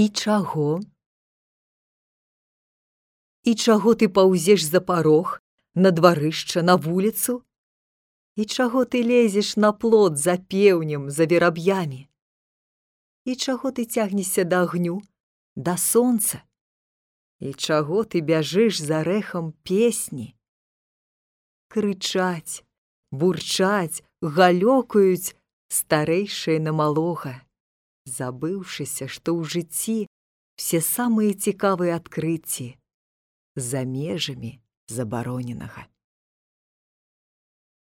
І чаго? І чаго ты паўзеш за парог, на дварышча, на вуліцу? І чаго ты лезеш на плот за пеўнем, за вераб'ямі? І чаго ты цягнешся да агню, да сонца? І чаго ты бяжыш за рэхам песні? Крычаць, бурчаць, галёкаюць старэйшыя на малога, забыўшыся, што ў жыцці все самыя цікавыя адкрыцці за межамі забароненага.